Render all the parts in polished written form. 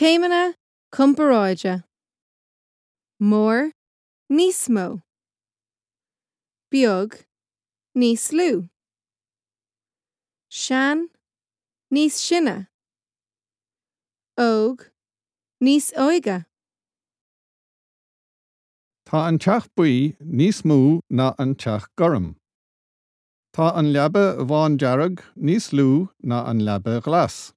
Céimeanna comparáide. Mór, níos mó. Beag, níos lú. Sean, níos sine. Óg, níos óige. Tá an teach buí níos mó ná an teach gorm. Tá an leaba bhándearg níos lú ná an leaba ghlas.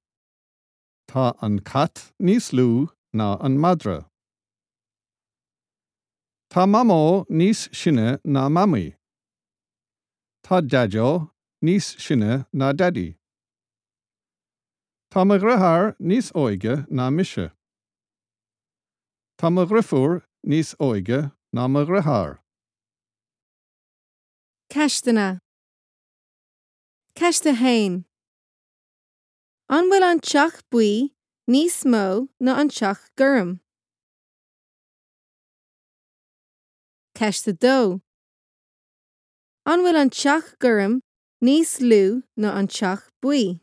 Tá an cat níos lú ná an madra. Tá Mamó níos sine ná Mamaí. Tá Daideo níos sine ná Daidí. Tá mo dheartháir níos óige ná mise. Tá mo dheirfiúr níos óige ná mo dheartháir. Ceisteanna. Ceist 1. An bhfuil an teach buí níos mó ná an teach gorm? Ceist 2. An bhfuil an teach gorm níos lú ná an teach buí?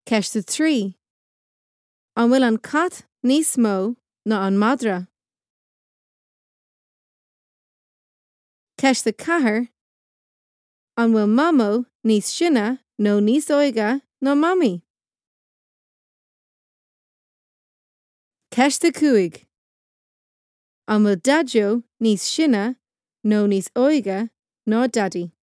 Ceist 3. An bhfuil an cat níos mó ná an madra? Ceist 4. An bhfuil Mamó níos sine nó níos óige ná Mamaí? Ceist 5. An bhfuil Daideo níos sine nó níos óige ná Daidí?